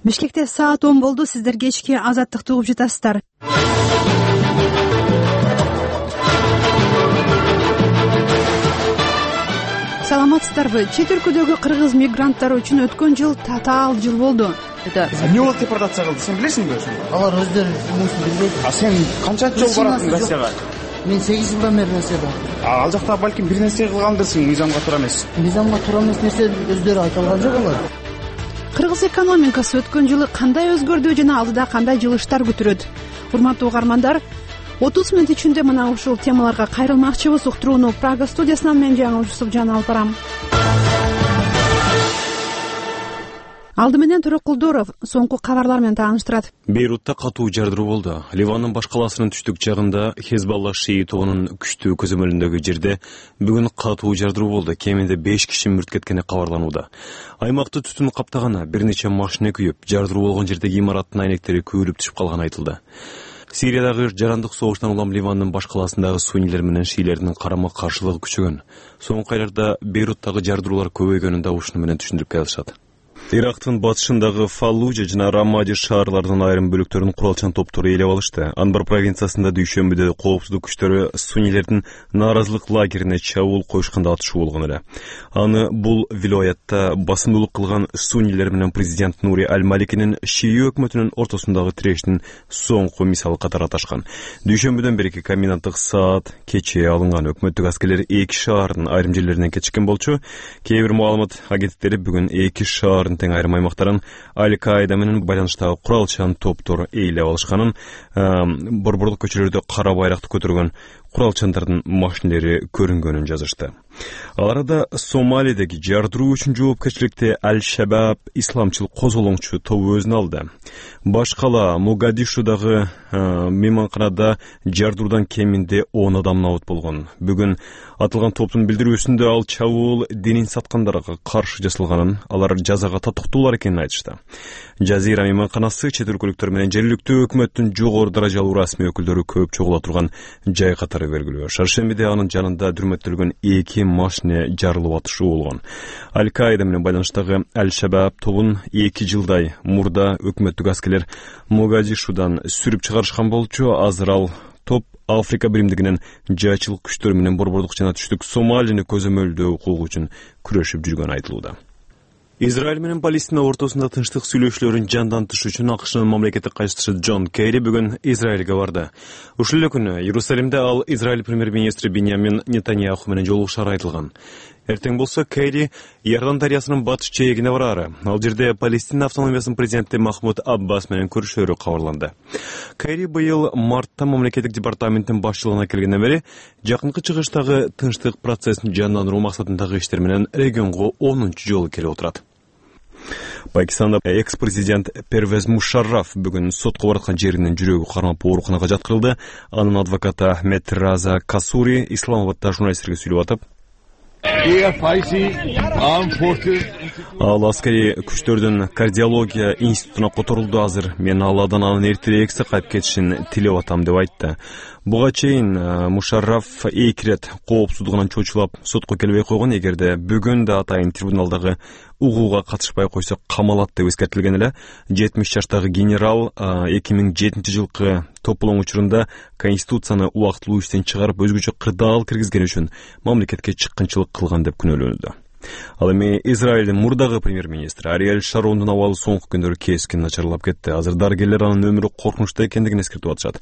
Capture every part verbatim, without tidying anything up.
Бишкекте саат он болду. Сиздер кечки Азаттыкты угуп жатасыздар. Саламатсыздарбы? Чет өлкөдөгү кыргыз мигранттары үчүн өткөн жыл татаал жыл болду. Эмне болуп депортация кылды, сен билесиңби? Алар өздөрү билет. А сен канчанчы жол барасың Россияга? Мен сегиз жылдан бери Россияда. Ал жакта балким бир нерсе кылгандырсың, мыйзамга туура эмес. Мыйзамга туура эмес нерсе өздөрү айта алган жок алар. Кыргыз экономикасы өткөн жылы кандай өзгөрдү жана алдыда кандай жылыштар күтүрөт? Урматтуу угармандар, отуз мүнөт ичинде мына ушул темаларга кайрылмакчыбыз. Уктурууну Прага студиясынан мен Жаңыл Жусупжан алып барам. Алды менен Төрөк Кулдуров соңку кабарлар менен тааныштырат. Бейрутта катуу жардыруу болду. Ливандын баш калаасынын түштүк жагында Хезбалла шии тобунун күчтүү көзөмөлүндөгү жерде бүгүн катуу жардыруу болду. Кеминде беш киши мүрт кеткени кабарланууда. Аймакты түтүн каптаганы, бир нече машина күйүп, жардыруу болгон жердеги имараттын айнектери күйүлүп түшүп калганы айтылды. Сириядагы жарандык согуштан улам Ливандын баш калаасындагы суннилер менен шиилердин карама каршылыгы күчөгөн. Соңку айларда Бейруттагы жардыруулар көбөйгөнүн да ушуну менен түшүндүрүп келишат. Ирактын батышындагы Фаллужа жана Рамади шаарларынын айрым бөлүктөрүн куралчан топтор ээлеп алышты. Анбар провинциясында дүйшөмбүдө коопсуздук күчтөрү суннилердин нааразылык лагерине чабуул коюшканда атышуу болгон эле. Аны бул вилаятта басымдуулук кылган суннилер менен президент Нури Аль-Маликинин шии өкмөтүнүн ортосундагы тирештин соңку мисалы катары аташкан. Дүйшөмбүдөн берки коменданттык саат кечээ алынган. Өкмөттүк аскерлер эки шаардын айрым жерлеринен кечиккен болчу. Кээ бир маалымат агенттиктери бүгүн эки шаардын тең айрым аймактарын Аль-Каида менен байланыштагы куралчан топтор ээлеп алышканын, борборлук көчөлөрдө кара байракты көтөргөн куралчандардын машинелери көрүнгөнүн жазышты. Аларда Сомалидеги жардыруу үчүн жоопкерчиликти Аль-Шабаб исламчыл козголоңчу тобу өзүнө алды. Баш кала Могадишудагы мейманканада жардыруудан кеминде он адам набыт болгон. Бүгүн атылган топтун билдирүүсүндө ал чабуул динин саткандарга каршы жасалганын, алар жазага татыктуулар экенин айтышты. Жазира мейманканасы чет өлкөлүктөр менен жергиликтүү өкмөттүн жогору даражалуу расмий өкүлдөрү көп чогула турган жай катары белгилүү. Шаршембиде анын жанында дүрмөттөлгөн эки машина жарылып атышуу болгон. Аль-Каида менен байланыштагы Аль-Шабаб тобун эки жылдай мурда өкмөттүк аскерлер Могадишудан сүрүп чыгарышкан болчу. Азыр ал топ Африка биримдигинин жайчылык күчтөрү менен борбордук жана түштүк Сомалини көзөмөлдөө укугу үчүн күрөшүп жүргөнү айтылууда. Израиль менен Палестина ортосунда тынчтык сүйлөшүүлөрүн жандантыш үчүн АКШнын мамлекеттик катчысы Джон Керри бүгүн Израилге барды. Ушул эле күнү Иерусалимде ал Израиль премьер-министри Биньямин Нетаньяху менен жолугушаары айтылган. Эртең болсо Керри Иордан дарыясынын батыш жээгине бараары. Ал жерде Палестина автономиясынын президенти Махмуд Аббас менен көрүшөөрү кабарланды. Керри быйыл мартта мамлекеттик департаменттин башчылыгына келгенден бери жакынкы чыгыштагы тынчтык процессин жандандыруу максатындагы иштер менен регионго онунчу жолу келип отурат. Пакистанда экс-президент Первез Мушарраф бүгүн сотко бараткан жеринен жүрөгү кармап ооруканага жаткырылды. Анын адвокаты Ахмед Раза Касури Исламабадда журналисттерге сүйлөп атып, ал аскери күчтөрдүн кардиология институтуна которулду. Азыр мен Алладан анын эртерээк сакайып кетишин тилеп атам деп айтты. Буга чейин Мушарраф эки ирет коопсуздугунан чочулап сотко келбей койгон. Эгерде бүгүн да атайын трибуналдагы угууга катышпай койсо камалат деп эскертилген эле. жетимиш жаштагы генерал эки миң жетинчи жылкы тополоң учурунда конституцияны убактылуу иштен чыгарып өзгөчө кырдаал киргизген үчүн мамлекетке чыккынчылык кылган деп күнөөлөнүүдө. Ал эми Израилдин мурдагы премьер-министри Ариэль Шарондун абалы соңку күндөрү кескин начарлап кетти. Азыр дарыгерлер анын өмүрү коркунучта экендигин эскертип атышат.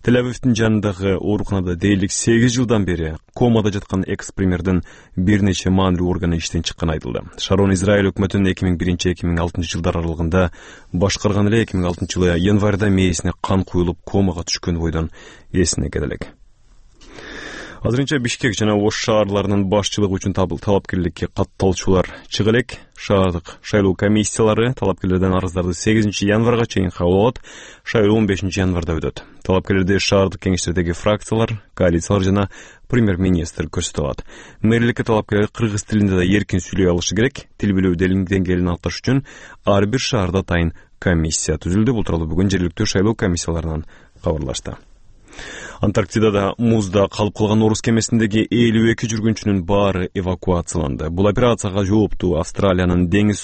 Тель-Авивдин жанындагы ооруканада дээрлик сегиз жылдан бери комада жаткан экс-премьердин бир нече маанилүү органы иштен чыкканы айтылды. Шарон Израиль өкмөтүнүн эки миң биринчи эки миң алтынчы жылдар аралыгында башкарган эле. эки миң алтынчы жылы январда мээсине кан куюлуп комага түшкөн бойдон эсине келелек. Азырынча Бишкек жана Ош шаарларынын башчылыгы үчүн талапкерликке катталуучулар чыга элек. Шаардык шайлоо комиссиялары талапкерлерден арыздарды сегизинчи январга чейин кабыл алат. Шайлоо он бешинчи январда өтөт. Талапкерлерди шаардык кеңештердеги фракциялар, коалициялар жана премьер-министр көрсөтө алат. Мэрликке талапкерлер кыргыз тилинде да эркин сүйлөй алышы керек. Тил билүү деңгээлин аныкташ үчүн ар бир шаарда атайын комиссия түзүлдү. Бул тууралуу бүгүн жергиликтүү шайлоо комиссияларынан кабарлашты. Антарктидада музда калып калган орус кемесиндеги элүү эки жүргүнчүнүн баары эвакуацияланды. Бул операцияга жооптуу Австралиянын деңиз